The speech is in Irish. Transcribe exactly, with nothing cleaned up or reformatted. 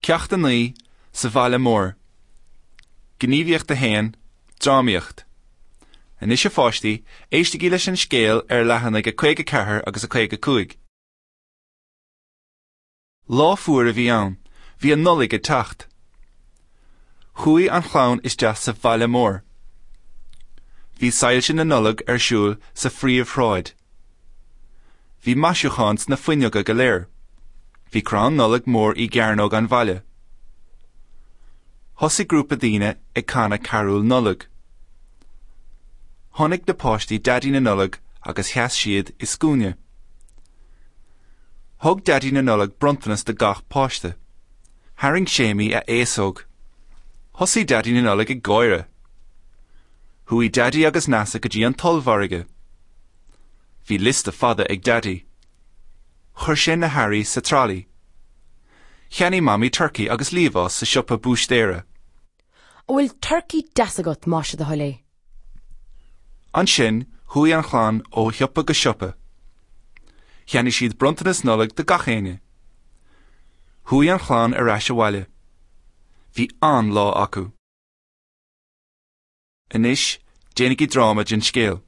Ceacht a naoi sa bhaile mór. Gníomhaíocht a haon, Drámaíocht. Anois a pháistí, éistigí leis an scéal ar leathanaigh a caoga ceathair agus a caoga cúig. Lá fuar a bhí ann, bhí an Nollaig ag teacht. Chuaigh an chlann isteach sa bhaile mór. Bhí soilse na Nollag ar siúl sa phríomhshráid. Bhí maisiúcháin sna fuinneoga go léir. Bhí crann Nollag mór i gcearnóg an bhaile. Thosaigh grúpa daoine ag canadh carúil Nollag. Chonaic na páistí Daidí na Nollag agus sheas siad i scuaine. Thug Daidí na Nollag bronntanas do gach páiste. Tharraing Séimí a fhéasóg. Thosaigh Daidí na Nollag ag gáire. Chuaigh Daidí agus Neasa go dtí an t-ollmhargadh. Bhí liosta fada ag Daidí. Chuir sé na hearraí sa tralaí. Cheannaigh Mamaí turcaí agus liamhás sa siopa búistéara. An bhfuil turcaí deas agat más é do thoil é. Ansin chuaigh an chlann ó shiopa go siopa. Cheannaigh siad bronntanas Nollag do gach éinne. Chuaigh an chlann ar ais abhaile. Bhí an-lá acu. Anois déanaigí dráma den scéal.